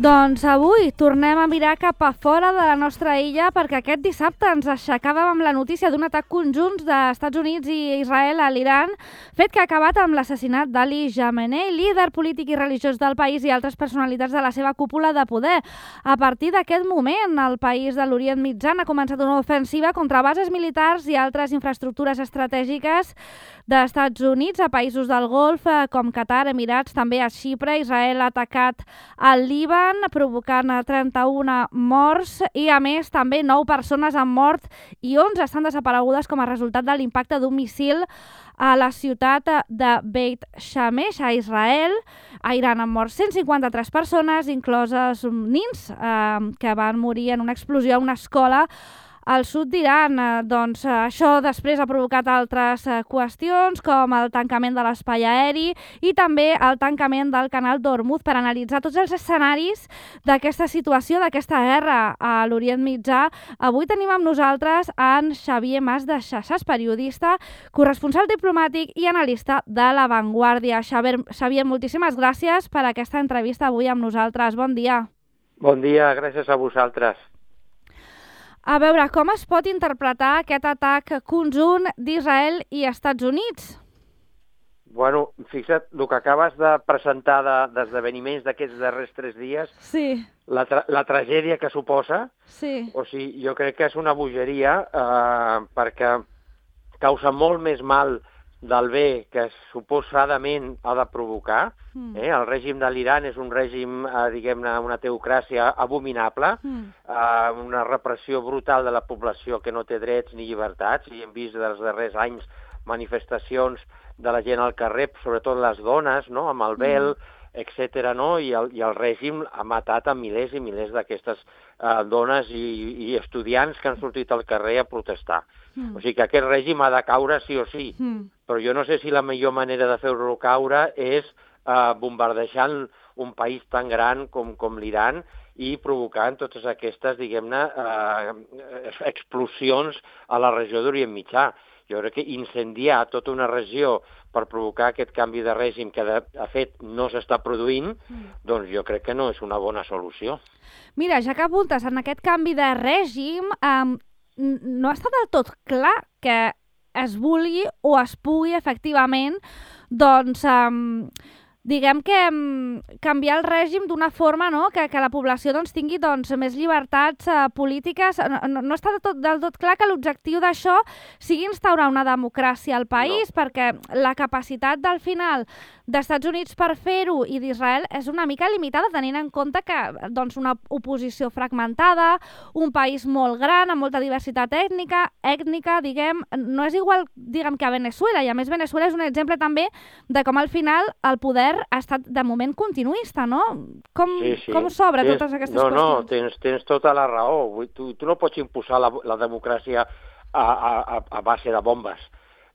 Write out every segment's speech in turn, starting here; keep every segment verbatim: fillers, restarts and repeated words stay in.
Doncs avui tornem a mirar cap a fora de la nostra illa perquè aquest dissabte ens aixecàvem amb la notícia d'un atac conjunt dels Estats Units i Israel a l'Iran, fet que ha acabat amb l'assassinat d'Ali Khamenei, líder polític i religiós del país i altres personalitats de la seva cúpula de poder. A partir d'aquest moment, el país de l'Orient Mitjà ha començat una ofensiva contra bases militars i altres infraestructures estratègiques dels Estats Units a països del Golf com Qatar, Emirats, també a Xipre. Israel ha atacat al Líban provocant trenta-una morts i, a més, també nou persones han mort i onze estan desaparegudes com a resultat de l'impacte d'un míssil a la ciutat de Beit Shemesh, a Israel. A Iran han mort cent cinquanta-tres persones, incloses nins eh, que van morir en una explosió a una escola al sud d'Iran. Doncs això després ha provocat altres qüestions com el tancament de l'espai aeri i també el tancament del canal d'Hormuz per analitzar tots els escenaris d'aquesta situació, d'aquesta guerra a l'Orient Mitjà. Avui tenim amb nosaltres en Xavier Mas de Xaxàs, periodista, corresponsal diplomàtic i analista de La Vanguardia. Xavier, Xavier, moltíssimes gràcies per aquesta entrevista avui amb nosaltres. Bon dia. Bon dia, gràcies a vosaltres. A veure, com es pot interpretar aquest atac conjunt d'Israel i Estats Units? Bueno, fixa't, el que acabes de presentar d'esdeveniments d'aquests darrers tres dies, sí. la, tra la tragèdia que suposa, sí. o sigui, jo crec que és una bogeria eh, perquè causa molt més mal del bé que suposadament ha de provocar. Mm. Eh? El règim de l'Iran és un règim, eh, diguem-ne, una teocràcia abominable, mm. eh, una repressió brutal de la població que no té drets ni llibertats, i hem vist dels darrers anys manifestacions de la gent al carrer, sobretot les dones, no?, amb el vel, mm. etcètera, no? I el, i el règim ha matat a milers i milers d'aquestes eh, dones i, i estudiants que han sortit al carrer a protestar. Mm. O sigui que aquest règim ha de caure sí o sí, mm. però jo no sé si la millor manera de fer-lo caure és eh, bombardejant un país tan gran com, com l'Iran i provocant totes aquestes, diguem-ne, eh, explosions a la regió d'Orient Mitjà. Jo crec que incendiar tota una regió per provocar aquest canvi de règim que, de, de fet, no s'està produint, mm. doncs jo crec que no és una bona solució. Mira, ja que apuntes en aquest canvi de règim, eh, no està del tot clar que es vulgui o es pugui efectivament, doncs, eh, diguem que eh, canviar el règim d'una forma, no?, que, que la població doncs, tingui doncs, més llibertats eh, polítiques. No, no, no està del tot, del tot clar que l'objectiu d'això sigui instaurar una democràcia al país, no. perquè la capacitat del final d'Estats Units per fer-ho i d'Israel és una mica limitada, tenint en compte que doncs, una oposició fragmentada, un país molt gran, amb molta diversitat ètnica, ètnica, diguem, no és igual diguem, que a Veneçuela, i a més Veneçuela és un exemple també de com al final el poder ha estat de moment continuista, no? Com, sí, sí. com s'obre tens, totes aquestes no, qüestions? No, tens, tens tota la raó. Tu, tu no pots imposar la, la democràcia a, a, a base de bombes.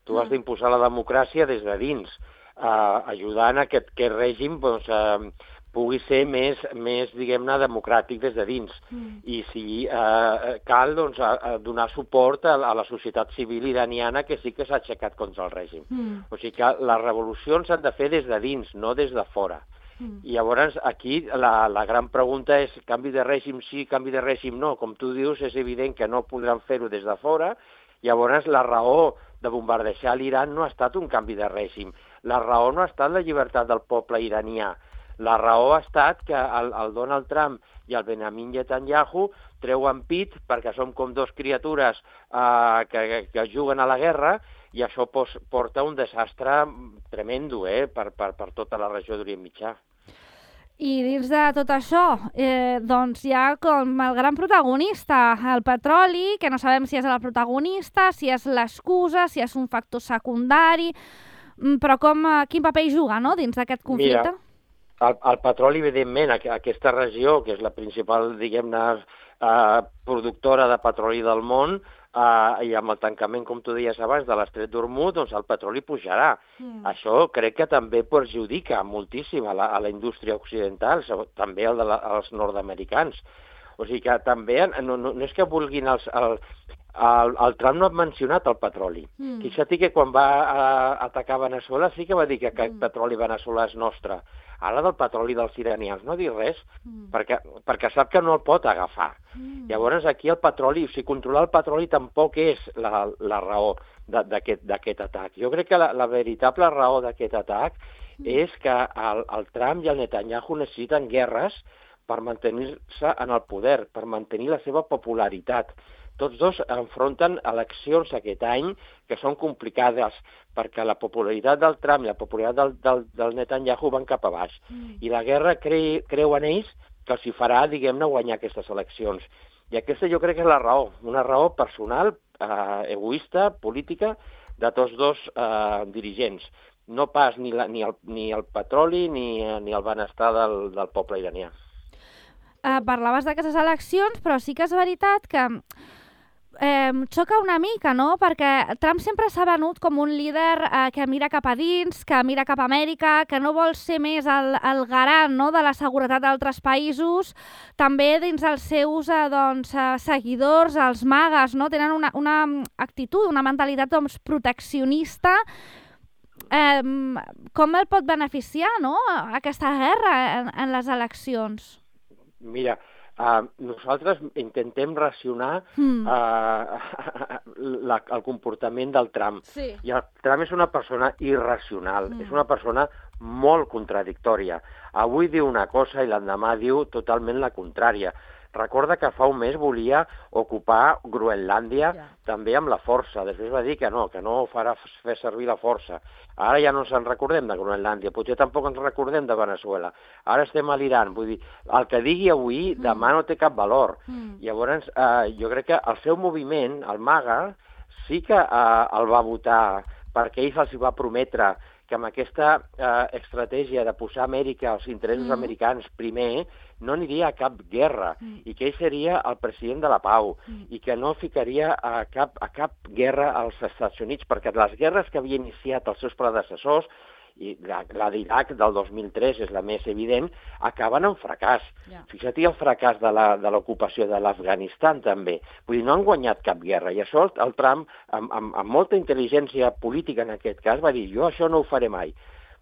Tu mm. has d'imposar la democràcia des de dins, eh, ajudant a que aquest règim doncs, eh, pugui ser més, més diguem-ne, democràtic des de dins. Mm. I si eh, cal doncs, a, a donar suport a, a la societat civil iraniana que sí que s'ha aixecat contra el règim. Mm. O sigui que les revolucions s'han de fer des de dins, no des de fora. Mm. I llavors aquí la, la gran pregunta és canvi de règim sí, canvi de règim no. Com tu dius, és evident que no podran fer-ho des de fora. Llavors la raó de bombardejar l'Iran no ha estat un canvi de règim. La raó no ha estat la llibertat del poble iranià. La raó ha estat que el, el Donald Trump i el Benjamin Netanyahu treuen pit perquè som com dos criatures eh, que, que juguen a la guerra, i això pos, porta un desastre tremendo eh, per, per, per tota la regió d'Orient Mitjà. I dins de tot això, eh, doncs hi ha com el gran protagonista, el petroli, que no sabem si és el protagonista, si és l'excusa, si és un factor secundari, però com, quin paper hi juga, no?, dins d'aquest conflicte? Mira, el, el petroli, evidentment, aquesta regió, que és la principal, diguem-ne, eh, productora de petroli del món, eh, i amb el tancament, com tu deies abans, de l'estret d'Hormuz, doncs el petroli pujarà. Mm. Això crec que també perjudica moltíssim a la, a la indústria occidental, també el de la, als nord-americans. O sigui que també, no, no, no és que vulguin els... El, el, el Trump no ha mencionat el petroli. Mm. Fixa't que quan va a, atacar Veneçuela sí que va dir que aquest mm. petroli veneçolà és nostre. Ara del petroli dels iranians no dir res, mm. perquè, perquè sap que no el pot agafar. Mm. Llavors aquí el petroli, o sigui, controlar el petroli tampoc és la, la raó d'aquest atac. Jo crec que la, la veritable raó d'aquest atac mm. és que el, el Trump i el Netanyahu necessiten guerres per mantenir-se en el poder, per mantenir la seva popularitat. Tots dos enfronten eleccions aquest any que són complicades perquè la popularitat del Trump i la popularitat del, del, del Netanyahu van cap a baix. Mm. I la guerra cre, creu en ells que els hi farà, diguem-ne, guanyar aquestes eleccions. I aquesta jo crec que és la raó, una raó personal, eh, egoista, política, de tots dos eh, dirigents. No pas ni, la, ni, el, ni el petroli ni, ni el benestar del, del poble iranià. Uh, parlaves d'aquestes eleccions, però sí que és veritat que eh, xoca una mica, no? Perquè Trump sempre s'ha venut com un líder eh, que mira cap a dins, que mira cap a Amèrica, que no vol ser més el, el garant, no?, de la seguretat d'altres països. També dins els seus eh, doncs, eh, seguidors, els magues, no?, tenen una, una actitud, una mentalitat doncs, proteccionista. Eh, com el pot beneficiar, no?, aquesta guerra en, en les eleccions? Mira, uh, nosaltres intentem racionar mm. uh, la, el comportament del Trump. Sí. I el Trump és una persona irracional, mm. és una persona molt contradictòria. Avui diu una cosa i l'endemà diu totalment la contrària. Recorda que fa un mes volia ocupar Groenlàndia ja. també amb la força. Després va dir que no, que no farà fer servir la força. Ara ja no ens en recordem de Groenlàndia, potser tampoc ens recordem de Venezuela. Ara estem a l'Iran. Vull dir, el que digui avui, mm. demà no té cap valor. Mm. Llavors, eh, jo crec que el seu moviment, el MAGA, sí que eh, el va votar perquè ell se'ls va prometre que amb aquesta eh, estratègia de posar Amèrica, els interessos mm. americans primer, no aniria a cap guerra mm. i que ell seria el president de la pau mm. i que no ficaria a cap, a cap guerra als Estats Units, perquè les guerres que havia iniciat els seus predecessors, i la, la d'Iraq del dos mil tres és la més evident, acaben en fracàs. Yeah. Fixa't el fracàs de l'ocupació de, de l'Afganistan també. Vull dir, no han guanyat cap guerra. I això el Trump, amb, amb, amb molta intel·ligència política en aquest cas, va dir, jo això no ho faré mai.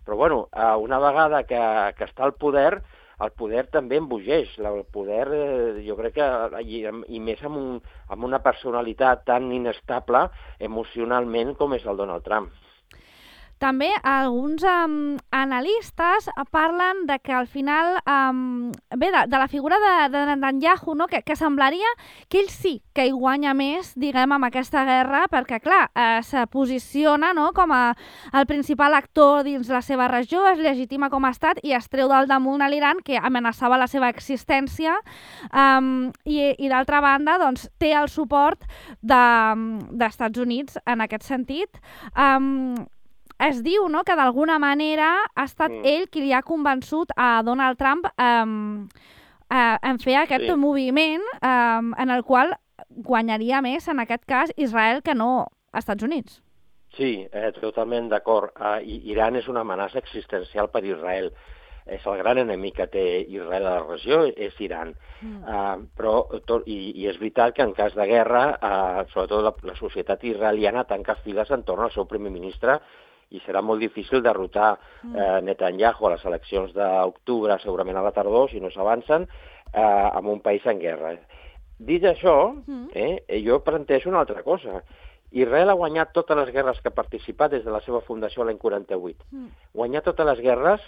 Però bueno, una vegada que, que està al poder, el poder també embogeix. El poder, jo crec que, i, i més amb, un, amb una personalitat tan inestable emocionalment com és el Donald Trump. També alguns um, analistes parlen de que al final, um, bé, de, de la figura de, de Netanyahu, no? que, que semblaria que ell sí que hi guanya més, diguem, amb aquesta guerra, perquè, clar, eh, se posiciona, no?, com a el principal actor dins la seva regió, es legitima com a estat i es treu del damunt a l'Iran, que amenaçava la seva existència, um, i, i d'altra banda, doncs, té el suport de, d'Estats Units en aquest sentit. Um, Es diu, no?, que d'alguna manera ha estat mm. ell qui li ha convençut a Donald Trump um, uh, en fer aquest sí. moviment um, en el qual guanyaria més, en aquest cas, Israel que no Estats Units. Sí, eh, totalment d'acord. Uh, Iran és una amenaça existencial per Israel. És el gran enemic que té Israel a la regió, és Iran. Mm. Uh, però, tot, i, i és veritat que en cas de guerra, uh, sobretot la, la societat israeliana tanca files entorn al seu primer ministre i serà molt difícil derrotar eh, Netanyahu a les eleccions d'octubre, segurament a la tardor, si no s'avancen, eh, en un país en guerra. Dit això, eh, jo planteixo una altra cosa. Israel ha guanyat totes les guerres que ha participat des de la seva fundació l'any quaranta-vuit. Mm. Guanyar totes les guerres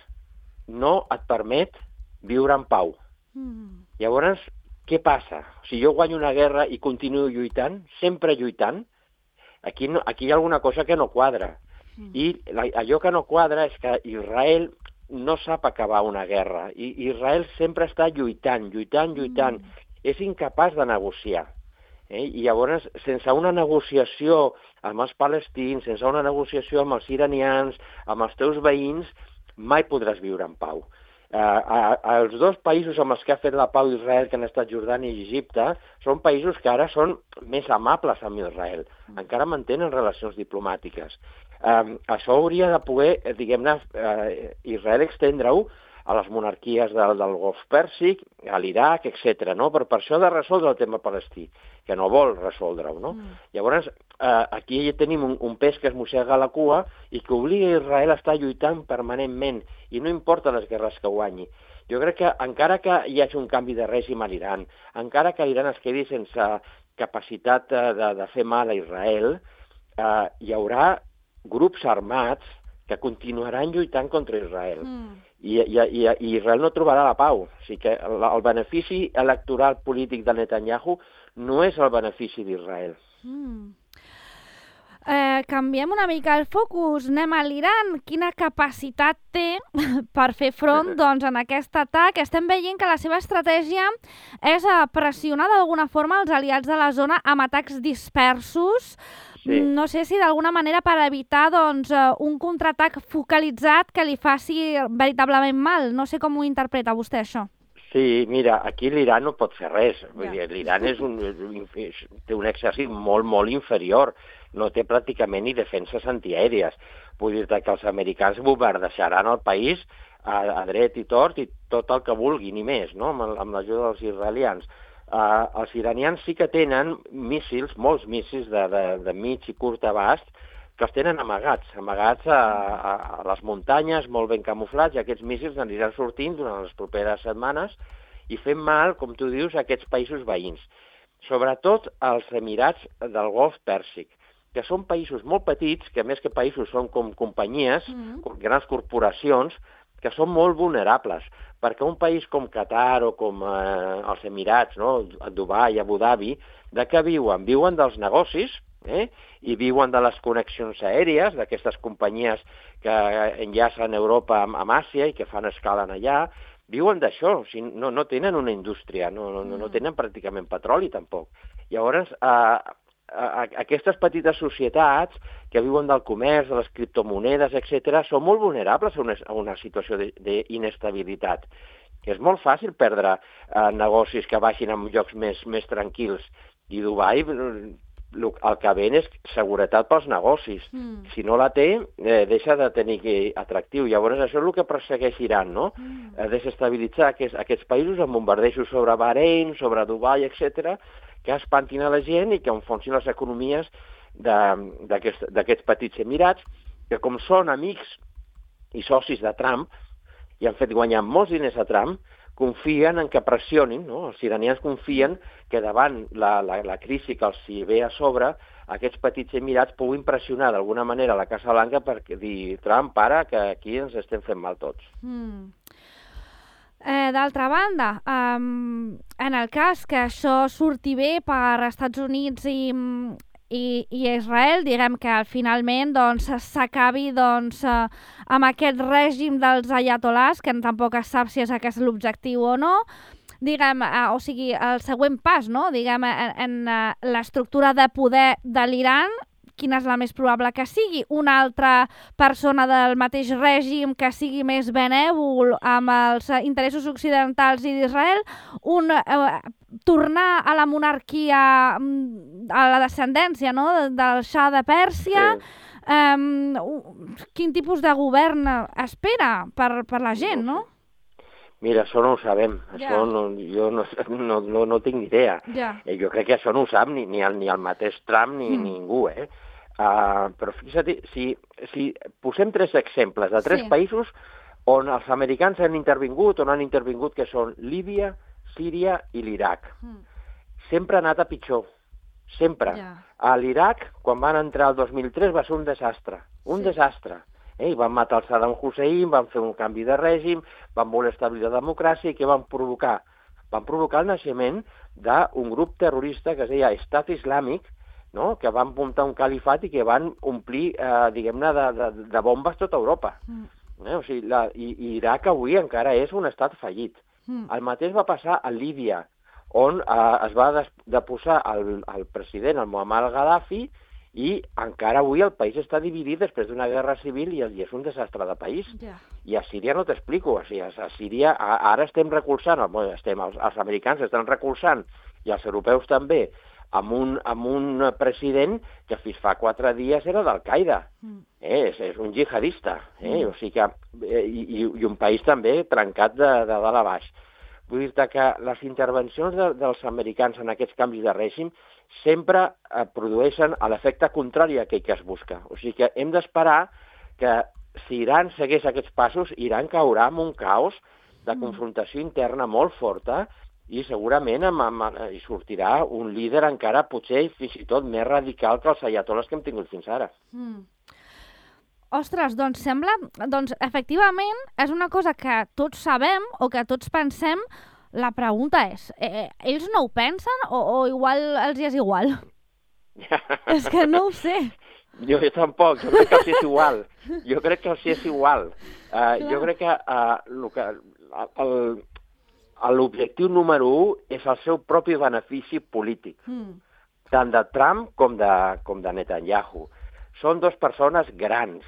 no et permet viure en pau. Mm. Llavors, què passa? Si jo guanyo una guerra i continuo lluitant, sempre lluitant, aquí, no, aquí hi ha alguna cosa que no quadra. I la, allò que no quadra és que Israel no sap acabar una guerra. I Israel sempre està lluitant, lluitant, lluitant. Mm. És incapaç de negociar. Eh? I llavors, sense una negociació amb els palestins, sense una negociació amb els iranians, amb els teus veïns, mai podràs viure en pau. Uh, a, a, els dos països amb els que ha fet la pau Israel, que han estat Jordània i Egipte, són països que ara són més amables amb Israel. Encara mantenen relacions diplomàtiques. Um, això hauria de poder, diguem-ne, uh, Israel extendre-ho a les monarquies del, del Golf Pèrsic, a l'Iraq, etcètera. No? Per, per això ha de resoldre el tema palestí, que no vol resoldre-ho. No? Mm. Llavors, eh, aquí tenim un, un pes que es mossega la cua i que obliga a Israel a estar lluitant permanentment, i no importa les guerres que guanyi. Jo crec que encara que hi hagi un canvi de règim a l'Iran, encara que l'Iran es quedi sense capacitat de, de, de fer mal a Israel, eh, hi haurà grups armats que continuaran lluitant contra Israel. Mm. I, i, i, I Israel no trobarà la pau. O sigui que el, el benefici electoral polític de Netanyahu no és el benefici d'Israel. Mm. Eh, canviem una mica el focus, anem a l'Iran. Quina capacitat té per fer front doncs, en aquest atac? Estem veient que la seva estratègia és pressionar d'alguna forma els aliats de la zona amb atacs dispersos. Sí. No sé si d'alguna manera per evitar doncs, un contraatac focalitzat que li faci veritablement mal. No sé com ho interpreta vostè, això. Sí, mira, aquí l'Iran no pot fer res. Ja. L'Iran és un, té un exèrcit molt, molt inferior. No té pràcticament ni defenses antiaèries. Vull dir-te que els americans bombardejaran el país a, a dret i tort i tot el que vulgui, ni més, no? amb, amb l'ajuda dels israelians. Uh, els iranians sí que tenen míssils, molts míssils de, de, de mig i curt abast, que els tenen amagats, amagats a, a, a les muntanyes, molt ben camuflats, i aquests míssils aniran sortint durant les properes setmanes i fent mal, com tu dius, a aquests països veïns. Sobretot als Emirats del Golf Pèrsic, que són països molt petits, que més que països són com companyies, mm-hmm. grans corporacions, que són molt vulnerables, perquè un país com Qatar o com eh, els Emirats, no? Dubai, Abu Dhabi, de què viuen? Viuen dels negocis, eh? I viuen de les connexions aèries, d'aquestes companyies que enllacen Europa amb, amb Àsia i que fan escala allà, viuen d'això, o sigui, no, no tenen una indústria, no, no, no tenen pràcticament petroli tampoc. Llavors, eh, aquestes petites societats que viuen del comerç, de les criptomonedes, etcètera, són molt vulnerables a una, a una situació d'inestabilitat. És molt fàcil perdre eh, negocis que vagin en llocs més, més tranquils. I Dubai, el que ven és seguretat pels negocis. Mm. Si no la té, eh, deixa de tenir atractiu. Llavors això és el que persegueix Iran, no? Mm. Eh, desestabilitzar aquests, aquests països amb bombardejos sobre Bahrein, sobre Dubai, etcètera, que espantin a la gent i que enfonsin les economies d'aquests petits emirats, que com són amics i socis de Trump, i han fet guanyar molts diners a Trump, confien en que pressionin, no? Els iranians confien que davant la, la, la crisi que els hi ve a sobre, aquests petits emirats puguin pressionar d'alguna manera a la Casa Blanca per dir, Trump, para, que aquí ens estem fent mal tots. Mm. Eh, D'altra banda, um, en el cas que això surti bé per Estats Units i, i, i Israel, diguem que finalment doncs, s'acabi doncs, eh, amb aquest règim dels ayatolars, que tampoc es sap si és aquest l'objectiu o no, diguem, eh, o sigui, el següent pas, no? Diguem, en, en uh, l'estructura de poder de l'Iran, quina és la més probable que sigui? Una altra persona del mateix règim que sigui més benèvol amb els interessos occidentals i d'Israel? Un, eh, tornar a la monarquia, a la descendència, no? del Shah de Pèrsia? Sí. Eh, quin tipus de govern espera per, per la gent, no? Mira, això no ho sabem. Ja. Això no, jo no, no, no, no tinc ni idea. Ja. Jo crec que això no ho sap ni, ni, el, ni el mateix Trump ni mm. ningú, eh? Uh, però fixa't, si, si posem tres exemples de tres sí. països on els americans han intervingut, on han intervingut, que són Líbia, Síria i l'Iraq. Mm. Sempre ha anat a pitjor, sempre. Yeah. A l'Iraq, quan van entrar el dos mil tres, va ser un desastre, un sí. desastre. Eh? Van matar el Saddam Hussein, van fer un canvi de règim, van voler establir la democràcia, i què van provocar? Van provocar el naixement d'un grup terrorista que es deia Estat Islàmic, no? Que van muntar un califat i que van omplir, eh, diguem-ne, de, de, de bombes tota Europa. Mm. Eh? O sigui, la, i, i Iraq avui encara és un estat fallit. Mm. El mateix va passar a Líbia, on eh, es va des, deposar el, el president, el Muammar al-Gaddafi, i encara avui el país està dividit després d'una guerra civil i, i és un desastre de país. Yeah. I a Síria no t'explico, o sigui, a Síria a, ara estem recolzant, bueno, estem, els, els americans estan recolzant, i els europeus també, amb un, amb un president que fins fa quatre dies era d'Al-Qaeda. Mm. Eh, és, és un jihadista. Eh? Mm. O sigui que, eh, i, i un país també trencat de, de dalt a baix. Vull dir-te que les intervencions de, dels americans en aquests canvis de règim sempre eh, produeixen l'efecte contrari a aquell que es busca. O sigui que hem d'esperar que si Iran segueix aquests passos, Iran caurà en un caos de confrontació interna molt forta i segurament amb, amb, hi sortirà un líder encara potser fins i tot més radical que els ayatoles que hem tingut fins ara. Mm. Ostres, doncs sembla... Doncs efectivament és una cosa que tots sabem o que tots pensem. La pregunta és, eh, ells no ho pensen o, o igual els hi és igual? És que no ho sé. Jo, jo tampoc, jo crec que els és igual. Jo crec que els és igual. Uh, jo crec que, uh, que l'objectiu número un és el seu propi benefici polític, mm. tant de Trump com de, com de Netanyahu. Són dues persones grans.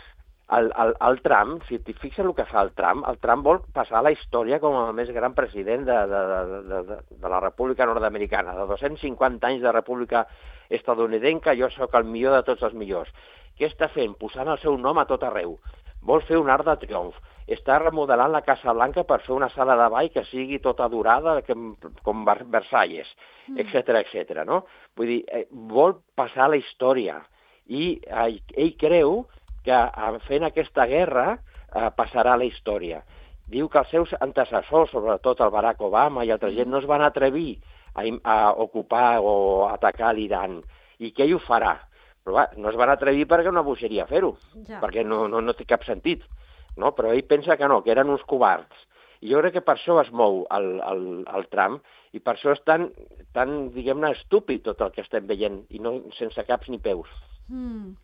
El, el, el Trump, si t'hi fixes el que fa el Trump, el Trump vol passar a la història com el més gran president de, de, de, de, de la República Nord-Americana, de dos-cents cinquanta anys de República Estadounidenca, jo sóc el millor de tots els millors. Què està fent? Posant el seu nom a tot arreu. Vol fer un arc de triomf. Està remodelant la Casa Blanca per fer una sala de ball que sigui tota dorada, com, com Versalles, etcètera, etcètera, no? Vull dir, eh, vol passar a la història. I eh, ell creu que fent aquesta guerra eh, passarà a la història. Diu que els seus antecessors, sobretot el Barack Obama i altra gent, no es van atrevir a, a ocupar o atacar l'Iran, i que ell ho farà. Però va, no es van atrevir perquè una bogeria fer-ho, ja. perquè no, no, no té cap sentit. No? Però ell pensa que no, que eren uns covards. I jo crec que per això es mou el, el, el Trump, i per això és tan, tan diguem-ne, estúpid tot el que estem veient, i no sense caps ni peus. Mm.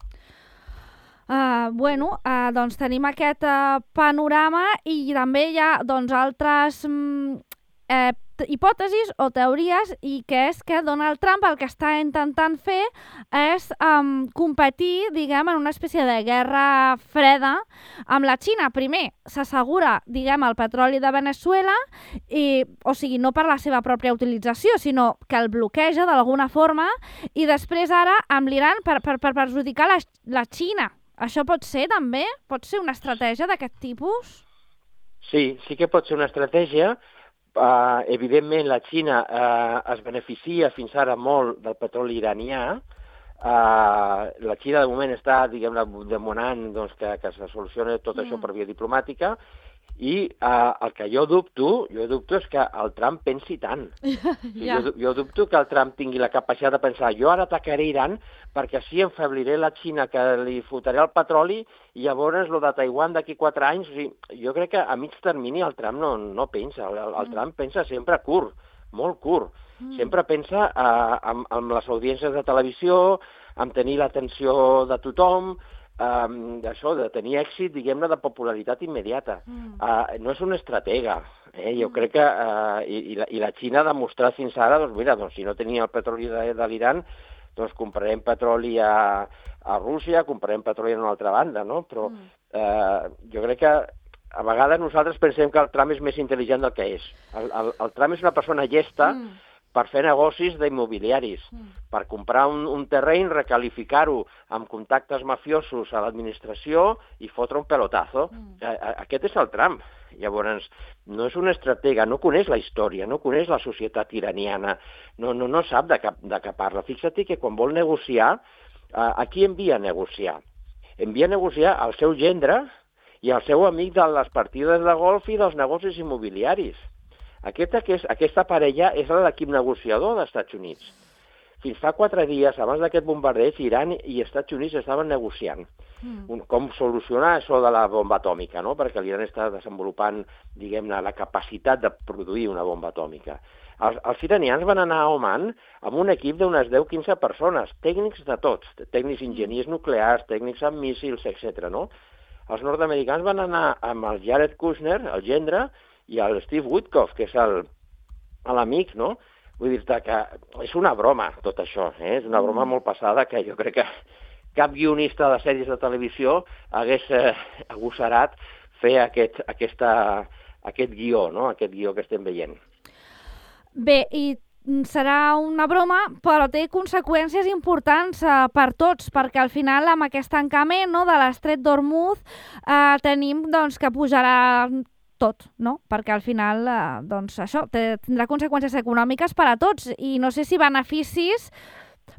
Uh, bueno, uh, doncs tenim aquest uh, panorama i també hi ha doncs, altres um, eh, hipòtesis o teories, i que és que Donald Trump el que està intentant fer és um, competir, diguem, en una espècie de guerra freda amb la Xina. Primer s'assegura, diguem, el petroli de Venezuela, i, o sigui, no per la seva pròpia utilització, sinó que el bloqueja d'alguna forma, i després ara amb l'Iran per, per, per perjudicar la, la Xina. Això pot ser també? Pot ser una estratègia d'aquest tipus? Sí, sí que pot ser una estratègia. Uh, evidentment, la Xina uh, es beneficia fins ara molt del petroli iranià. Uh, la Xina, de moment, està, diguem-ne, demanant doncs, que, que se solucioni tot mm. això per via diplomàtica. I uh, el que jo dubto, jo dubto és que el Trump pensi tant. ja. jo, jo dubto que el Trump tingui la capacitat de pensar jo ara atacaré Iran perquè així enfebliré la Xina, que li fotré el petroli, i llavors el de Taiwan d'aquí quatre anys. O sigui, jo crec que a mig termini el Trump no, no pensa. El, el mm. Trump pensa sempre curt, molt curt. Mm. Sempre pensa uh, en, en les audiències de televisió, en tenir l'atenció de tothom, Um, d'això, de tenir èxit, diguem-ne, de popularitat immediata. Mm. Uh, no és un estratega. Eh? Jo mm. crec que... Uh, i, i, la, I la Xina ha demostrat fins ara, doncs mira, doncs, si no tenia el petroli de, de l'Iran, doncs comprarem petroli a, a Rússia, comprarem petroli a una altra banda, no? Però mm. uh, jo crec que a vegades nosaltres pensem que el Trump és més intel·ligent del que és. El, el, el Trump és una persona llesta, mm. per fer negocis d'immobiliaris, mm. per comprar un, un terreny, recalificar-ho amb contactes mafiosos a l'administració i fotre un pelotazo. Mm. A, a, aquest és el Trump. Llavors, no és un estratega, no coneix la història, no coneix la societat iraniana, no, no, no sap de què, de què parla. Fixa't que quan vol negociar, a, a qui envia a negociar? Envia a negociar al seu gendre i al seu amic de les partides de golf i dels negocis immobiliaris. Aquesta, aquesta parella és l'equip negociador dels Estats Units. Fins fa quatre dies, abans d'aquest bombardeig, Iran i Estats Units estaven negociant mm. com solucionar això de la bomba atòmica, no? Perquè l'Iran està desenvolupant, diguem-ne, la capacitat de produir una bomba atòmica. Els, els iranians van anar a Oman amb un equip d'unes deu a quinze persones, tècnics de tots, tècnics enginyers nuclears, tècnics amb míssils, etcètera. No? Els nord-americans van anar amb el Jared Kushner, el gendre, i el Steve Witkoff, que és l'amic, no? Vull dir-te que és una broma, tot això, eh? És una broma molt passada que jo crec que cap guionista de sèries de televisió hagués eh, agossarat fer aquest, aquesta, aquest guió, no? Aquest guió que estem veient. Bé, i serà una broma, però té conseqüències importants eh, per tots, perquè al final amb aquest tancament, no, de l'estret d'Hormuz eh, tenim doncs, que pujarà tot, no? Perquè al final eh, doncs, això té, tindrà conseqüències econòmiques per a tots i no sé si beneficis,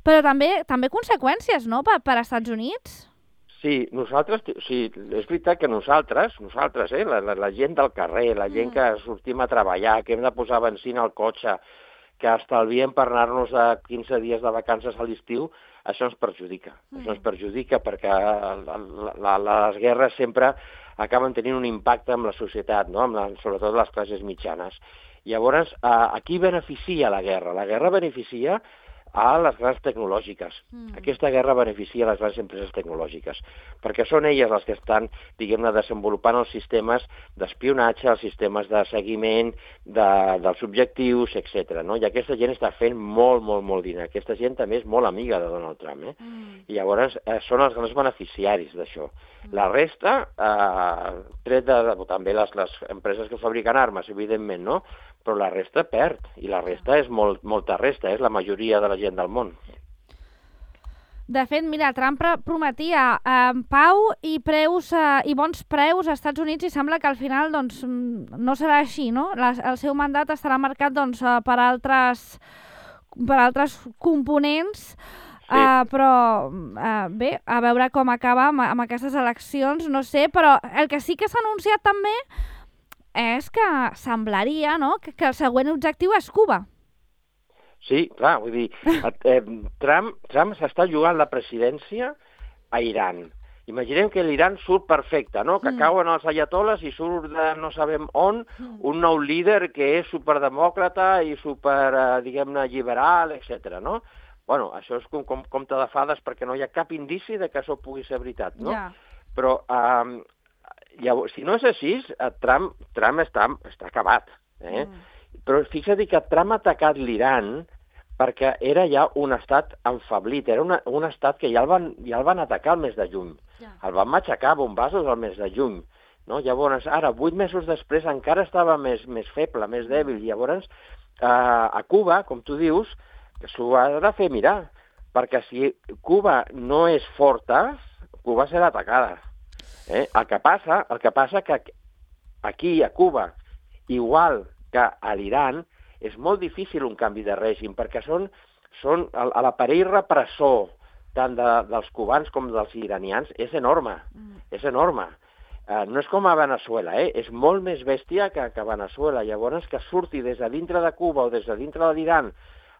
però també també conseqüències, no?, per, per als Estats Units. Sí, nosaltres, sí, és veritat que nosaltres, nosaltres, eh, la, la, la gent del carrer, la gent que sortim a treballar, que hem de posar benzina al cotxe, que estalviem per anar-nos a quinze dies de vacances a l'estiu, això ens perjudica. Mm. Això ens perjudica perquè la, la, la, les guerres sempre acaben tenint un impacte en la societat, no? Amb la, sobretot les classes mitjanes. Llavors, a, a qui beneficia la guerra? La guerra beneficia a les grans tecnològiques. Mm. Aquesta guerra beneficia les grans empreses tecnològiques, perquè són elles les que estan, diguem-ne, desenvolupant els sistemes d'espionatge, els sistemes de seguiment de, dels objectius, etcètera. No? I aquesta gent està fent molt, molt, molt diner. Aquesta gent també és molt amiga de Donald Trump. Eh? Mm. I llavors eh, són els grans beneficiaris d'això. Mm. La resta, eh, tret de, de també les, les empreses que fabriquen armes, evidentment, no? Però la resta perd, i la resta és molt, molta resta, és la majoria de la gent del món. De fet, mira, Trump prometia eh, pau i preus eh, i bons preus als Estats Units i sembla que al final doncs, no serà així, no? La, el seu mandat estarà marcat doncs, per, altres, per altres components, sí. eh, però eh, bé, a veure com acaba amb, amb aquestes eleccions, no sé, però el que sí que s'ha anunciat també és que semblaria, no?, que, que el següent objectiu és Cuba. Sí, clar, vull dir, eh, Trump, Trump s'està jugant la presidència a Iran. Imaginem que l'Iran surt perfecte, no?, que mm. cauen els ayatoles i surt de no sabem on un nou líder que és superdemòcrata i super, eh, diguem-ne, liberal, etcètera, no? Bueno, això és com, com compte de fades perquè no hi ha cap indici de que això pugui ser veritat, no? Yeah. Però... Eh, Llavors, si no és així, Trump, Trump està, està acabat. Eh? Mm. Però fixa't que Trump ha atacat l'Iran perquè era ja un estat enfablit, era una, un estat que ja el, van, ja el van atacar el mes de juny. Yeah. El van matxacar a bombassos el mes de juny. No? Llavors, ara, vuit mesos després, encara estava més, més feble, més dèbil. Llavors, eh, a Cuba, com tu dius, s'ho ha de fer mirar, perquè si Cuba no és forta, Cuba serà atacada. Eh? El que passa, el que passa que aquí, a Cuba, igual que a l'Iran, és molt difícil un canvi de règim, perquè són, són l'aparell repressor tant de, dels cubans com dels iranians és enorme, mm. és enorme. Uh, no és com a Venezuela, eh? És molt més bèstia que, que a Venezuela. Llavors, que surti des de dintre de Cuba o des de dintre de l'Iran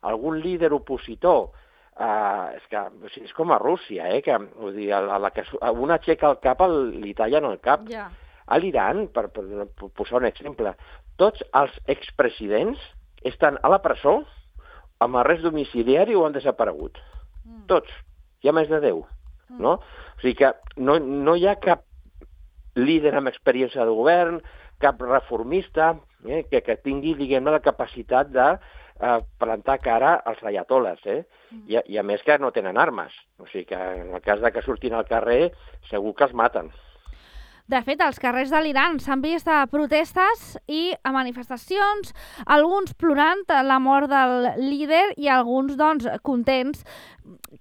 algun líder opositor. Uh, és que o sigui, és com a Rússia, eh? Que, vull dir, a la, a la que una aixeca el cap, li tallen el cap. Yeah. A l'Iran, per, per, per posar un exemple, tots els expresidents estan a la presó amb arrest domiciliari o han desaparegut. Mm. Tots. Hi ha més de deu. Mm. No? O sigui que no, no hi ha cap líder amb experiència de govern, cap reformista eh? que, que tingui, diguem-ne, la capacitat de a plantar cara als ayatoles, eh? I, i a més que no tenen armes. O sigui que en el cas de que surtin al carrer, segur que els maten. De fet, als carrers de l'Iran s'han vist protestes i a manifestacions, alguns plorant la mort del líder i alguns, doncs, contents.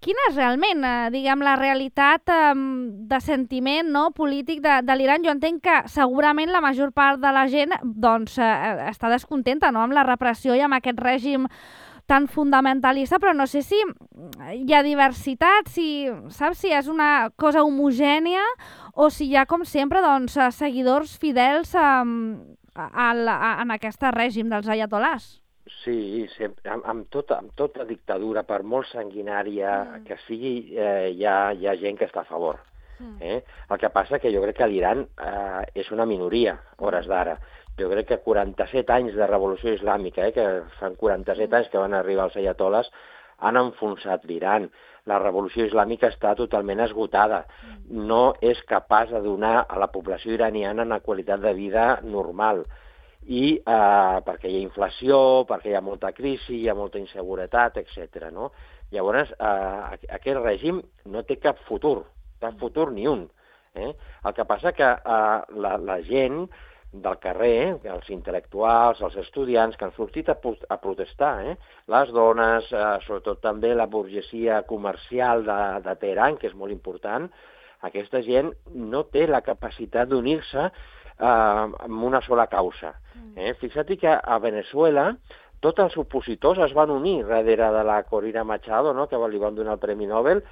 Quina és realment, eh, diguem, la realitat eh, de sentiment, no?, polític de, de l'Iran? Jo entenc que segurament la major part de la gent doncs, eh, està descontenta, no?, amb la repressió i amb aquest règim tan fundamentalista, però no sé si hi ha diversitat, si, saps, si és una cosa homogènia o si hi ha, com sempre, doncs, seguidors fidels a, a, a, en aquest règim dels ayatolars. Sí, sempre, amb, amb, tota, amb tota dictadura, per molt sanguinària mm. que sigui, eh, hi, ha, hi ha gent que està a favor. Mm. Eh? El que passa que jo crec que l'Iran eh, és una minoria, hores d'ara. Jo crec que quaranta-set anys de revolució islàmica, eh, que fan quaranta-set anys que van arribar els ayatoles, han enfonsat l'Iran. La revolució islàmica està totalment esgotada. No és capaç de donar a la població iraniana una qualitat de vida normal. I eh, perquè hi ha inflació, perquè hi ha molta crisi, hi ha molta inseguretat, etcètera. No? Llavors, eh, aquest règim no té cap futur, cap futur ni un. Eh? El que passa que eh, la, la gent del carrer, els intel·lectuals, els estudiants que han sortit a, a protestar, eh? Les dones, eh, sobretot també la burgesia comercial de, de Teheran, que és molt important. Aquesta gent no té la capacitat d'unir-se eh, amb una sola causa. Eh? Fixa't que a Venezuela tots els opositors es van unir darrere de la Corina Machado, no? Que li van donar el Premi Nobel,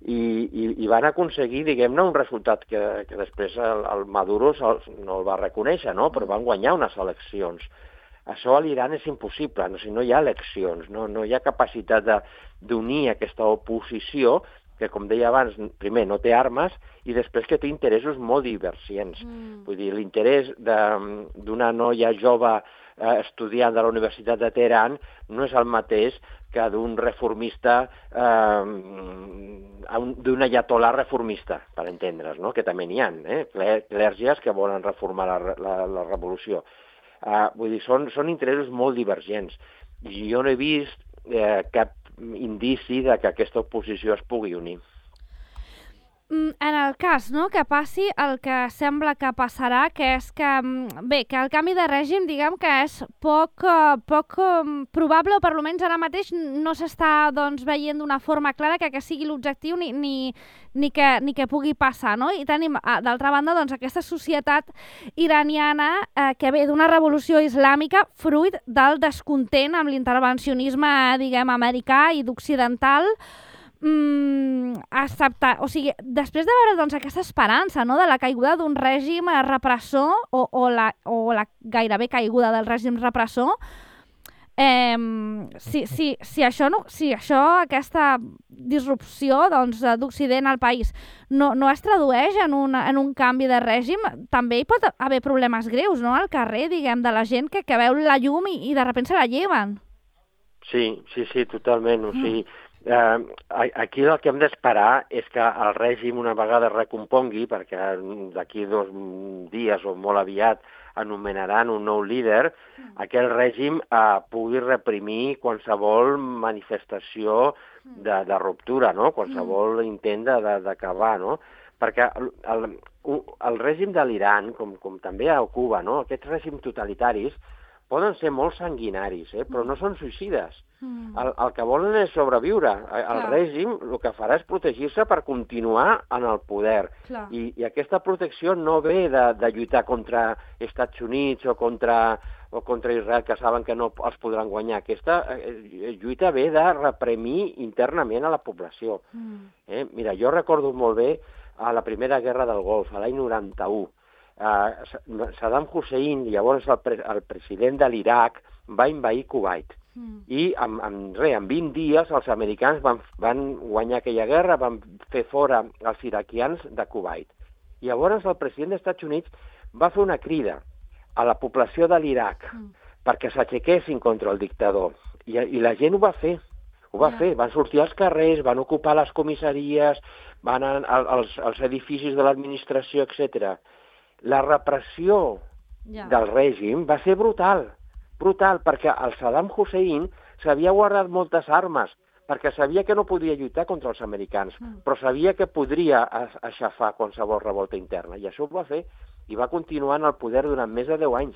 i, i, i van aconseguir, diguem-ne, un resultat que, que després el, el Maduro no el va reconèixer, no? Però van guanyar unes eleccions. Això a l'Iran és impossible, no, si no hi ha eleccions, no, no hi ha capacitat d'unir aquesta oposició que, com deia abans, primer no té armes i després que té interessos molt divergents. Mm. Vull dir, l'interès d'una noia jove eh, estudiant de la Universitat de Teheran no és el mateix que d'un reformista, eh, d'un ayatolà reformista, per entendre's, no? Que també n'hi ha, eh? Clergies que volen reformar la, la, la revolució. Eh, vull dir, són, són interessos molt divergents. I jo no he vist eh, cap indici de que aquesta oposició es pugui unir. En el cas, no?, que passi el que sembla que passarà, que és que, bé, que el canvi de règim, diguem que és poc, poc probable, o per almenys ara mateix no s'està, doncs, veient d'una forma clara que, que sigui l'objectiu ni, ni, ni, que, ni que pugui passar, no? I tenim, d'altra banda, doncs, aquesta societat iraniana eh, que ve d'una revolució islàmica fruit del descontent amb l'intervencionisme, diguem, americà i d'occidental, Mm, acceptar, o sigui, després de veure doncs, aquesta esperança, no?, de la caiguda d'un règim repressor o, o, la, o la gairebé caiguda del règim repressor, eh, si, si, si, això no, si això, aquesta disrupció doncs, d'Occident al país no, no es tradueix en un, en un canvi de règim, també hi pot haver problemes greus, no?, al carrer, diguem, de la gent que, que veu la llum i, i de sobte se la lleven. Sí, sí, sí, totalment, o sigui, Eh, aquí el que hem d'esperar és que el règim una vegada recompongui, perquè d'aquí dos dies o molt aviat anomenaran un nou líder, mm. aquell règim eh, pugui reprimir qualsevol manifestació de, de ruptura, no? Qualsevol mm. intent d'acabar, no? Perquè el, el, el règim de l'Iran, com, com també a Cuba, no? Aquests règims totalitaris poden ser molt sanguinaris, eh? Però no són suïcides. Mm. El, el que volen és sobreviure. El Clar. règim el que farà és protegir-se per continuar en el poder. I, I aquesta protecció no ve de, de lluitar contra Estats Units o contra, o contra Israel, que saben que no els podran guanyar. Aquesta eh, lluita ve de reprimir internament a la població. Mm. Eh? Mira, jo recordo molt bé a la Primera Guerra del Golf, a l'any noranta-u. Uh, Saddam Hussein, llavors el, pre el president de l'Iraq, va invair Kuwait. Mm. I en, en, re, en vint dies els americans van, van guanyar aquella guerra, van fer fora els iraquians de Kuwait. I llavors el president dels Estats Units va fer una crida a la població de l'Iraq mm. perquè s'aixequessin contra el dictador. I, I la gent ho va fer. Ho va yeah. fer. Van sortir als carrers, van ocupar les comissaries, van a, a, als, als edificis de l'administració, etcètera. La repressió yeah. del règim va ser brutal, brutal, perquè el Saddam Hussein s'havia guardat moltes armes, perquè sabia que no podia lluitar contra els americans, mm. però sabia que podria aixafar qualsevol revolta interna, i això ho va fer, i va continuar en el poder durant més de deu anys.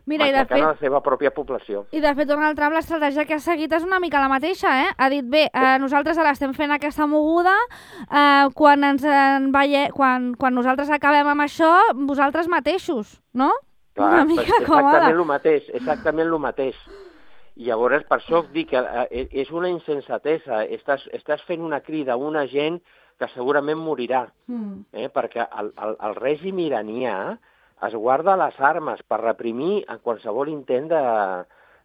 Mira, i de fet, la seva pròpia població. I de fet, Donald Trump, l'estratègia que ha seguit és una mica la mateixa, eh? Ha dit, bé, eh, nosaltres ara estem fent aquesta moguda, eh, quan, ens en veie... quan, quan nosaltres acabem amb això, vosaltres mateixos, no? Clar, una mica exactament el mateix, exactament el mateix. I llavors, per això dic que eh, és una insensatesa, estàs, estàs fent una crida a una gent que segurament morirà, mm. eh? Perquè el, el, el règim iranià es guarda les armes per reprimir en qualsevol intent de,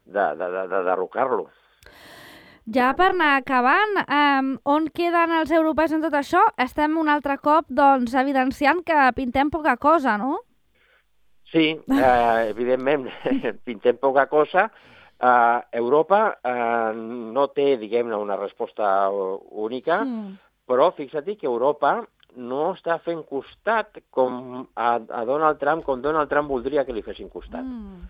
de, de, de, de derrocar-lo. Ja per anar acabant, eh, on queden els europeus en tot això? Estem un altre cop doncs, evidenciant que pintem poca cosa, no? Sí, eh, evidentment, pintem poca cosa. Eh, Europa eh, no té, diguem-ne, una resposta única, mm. però fixa't que Europa no està fent costat com a, a Donald Trump, com Donald Trump voldria que li fessin costat. Mm.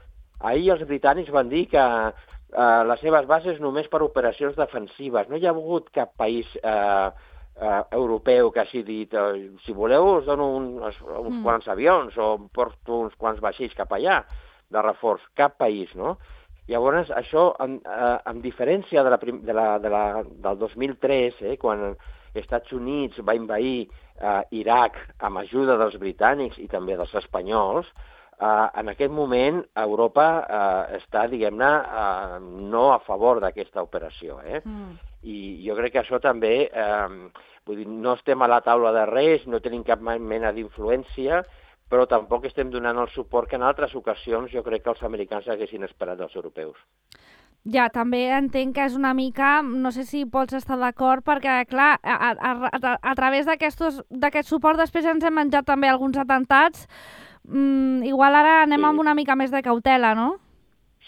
Ahir els britànics van dir que eh, les seves bases només per operacions defensives. No hi ha hagut cap país eh, eh, europeu que hagi dit eh, si voleu us dono un, uns mm. quants avions o porto uns quants vaixells cap allà de reforç, cap país, no? Llavors, això, en, eh, en diferència de la, de la, de la, del dos mil tres, eh, quan els Estats Units va invair eh, Iraq amb ajuda dels britànics i també dels espanyols, eh, en aquest moment Europa eh, està, diguem-ne, eh, no a favor d'aquesta operació. Eh? Mm. I jo crec que això també, eh, vull dir, no estem a la taula de res, no tenim cap mena d'influència, però tampoc estem donant el suport que en altres ocasions jo crec que els americans haguessin esperat dels europeus. Ja, també entenc que és una mica, no sé si pots estar d'acord, perquè, clar, a, a, a, a través d'aquest suport després ens hem menjat també alguns atentats. Mm, igual ara anem sí. amb una mica més de cautela, no?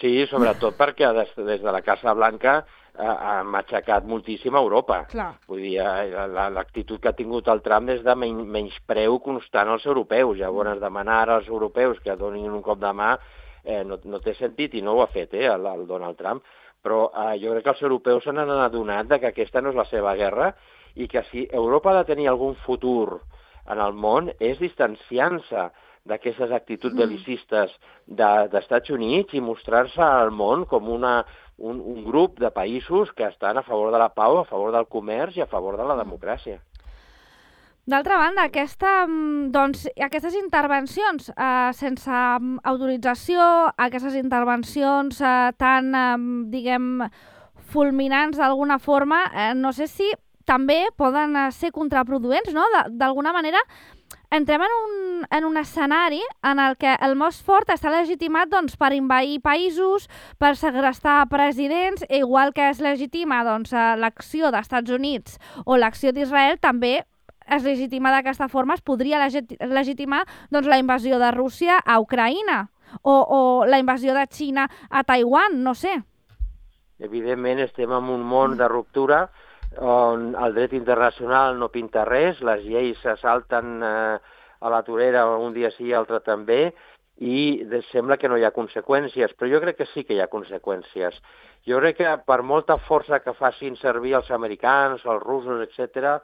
Sí, sobretot perquè des, des de la Casa Blanca eh, ha matxacat moltíssim a Europa. Clar. Vull dir, eh, l'actitud que ha tingut el Trump és de men menyspreu constant als europeus. Llavors, demanar als europeus que donin un cop de mà eh, no, no té sentit, i no ho ha fet eh, el, el Donald Trump. Però eh, jo crec que els europeus s'han adonat que aquesta no és la seva guerra i que si Europa ha de tenir algun futur en el món és distanciant-se d'aquestes actituds bel·licistes de, d'Estats Units i mostrar-se al món com una, un, un grup de països que estan a favor de la pau, a favor del comerç i a favor de la democràcia. D'altra banda, aquesta, doncs, aquestes intervencions eh, sense autorització, aquestes intervencions eh, tan, eh, diguem, fulminants d'alguna forma, eh, no sé si també poden ser contraproduents, no? D'alguna manera, entrem en un, en un escenari en el que el més fort està legitimat doncs, per invair països, per segrestar presidents, igual que es legitima doncs, l'acció d'Estats Units o l'acció d'Israel, també es legitima d'aquesta forma, es podria legitimar doncs, la invasió de Rússia a Ucraïna o, o la invasió de Xina a Taiwan, no sé. Evidentment estem en un món de ruptura on el dret internacional no pinta res, les lleis se salten eh, a la torera un dia sí i altre també, i sembla que no hi ha conseqüències, però jo crec que sí que hi ha conseqüències. Jo crec que per molta força que facin servir els americans, els russos, etcètera,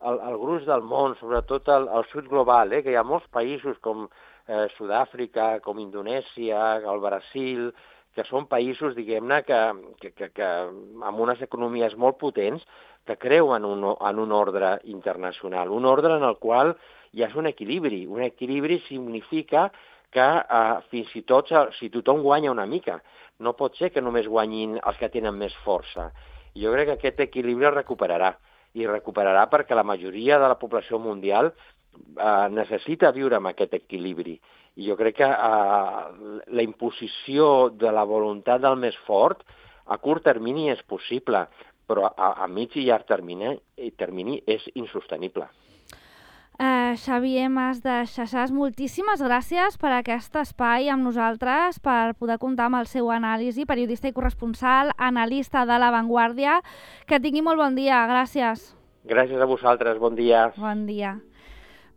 el, el gruix del món, sobretot el, el sud global, eh, que hi ha molts països com eh, Sud-àfrica, com Indonèsia, el Brasil, que són països, diguem-ne, que, que, que, que amb unes economies molt potents, que creuen un, en un ordre internacional, un ordre en el qual hi ha un equilibri. Un equilibri significa que eh, fins i tot, si tothom guanya una mica, no pot ser que només guanyin els que tenen més força. Jo crec que aquest equilibri es recuperarà, i recuperarà perquè la majoria de la població mundial eh, necessita viure amb aquest equilibri. I jo crec que eh, la imposició de la voluntat del més fort a curt termini és possible, però a, a mig i llarg termini, termini és insostenible. Uh, Xavier Mas de Xaxàs, moltíssimes gràcies per aquest espai amb nosaltres, per poder comptar amb el seu anàlisi, periodista i corresponsal, analista de La Vanguardia. Que tingui molt bon dia, gràcies. Gràcies a vosaltres, bon dia. Bon dia.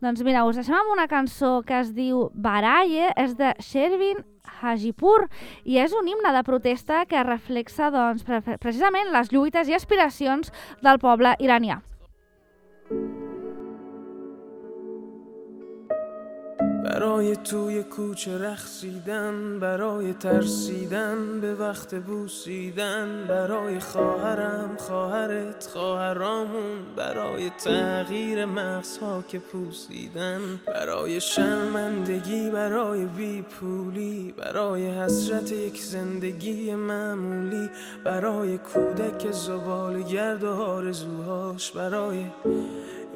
Doncs mira, us deixem amb una cançó que es diu Baraye, és de Shervin Hajipur, i és un himne de protesta que reflexa doncs, pre precisament les lluites i aspiracions del poble iranià. برای توی کوچه رقصیدن، برای ترسیدن به وقت بوسیدن، برای خواهرم، خواهرت، خواهرامون، برای تغییر مغزها که پوسیدن، برای شرمندگی، برای بیپولی، برای حسرت یک زندگی معمولی، برای کودک زباله‌گرد و آرزوهاش، برای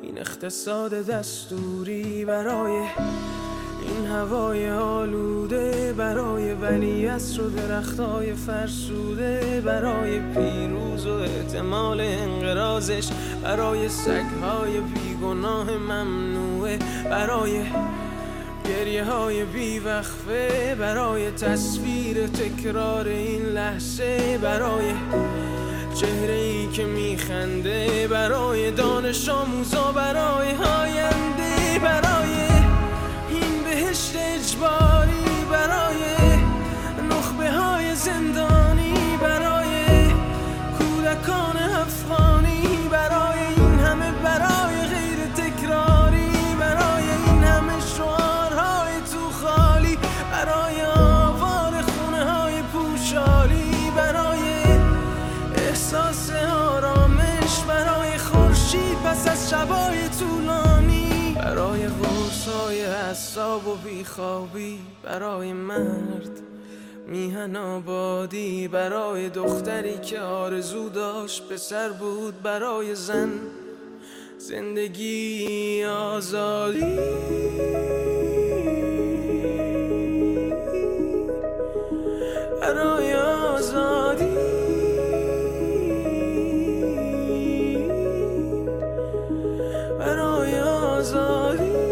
این اقتصاد دستوری، برای این هوای آلوده، برای ولیعصر و درختای فرسوده، برای پیروز و احتمال انقراضش، برای سگهای بیگناه ممنوعه، برای گریه های بیوقفه، برای تصویر تکرار این لحظه، برای چهره ای که میخنده، برای دانش آموزا، برای آینده، برای این بهشت اجباری، برای نخبه های زندانی، برای کودکان افغانی، برای این همه، برای از شبای طولانی، برای قرصای حساب و بیخوابی، برای مرد میهن آبادی، برای دختری که آرزو داشت پسر بود، برای زن زندگی آزادی، برای آزادی، برای آزادی.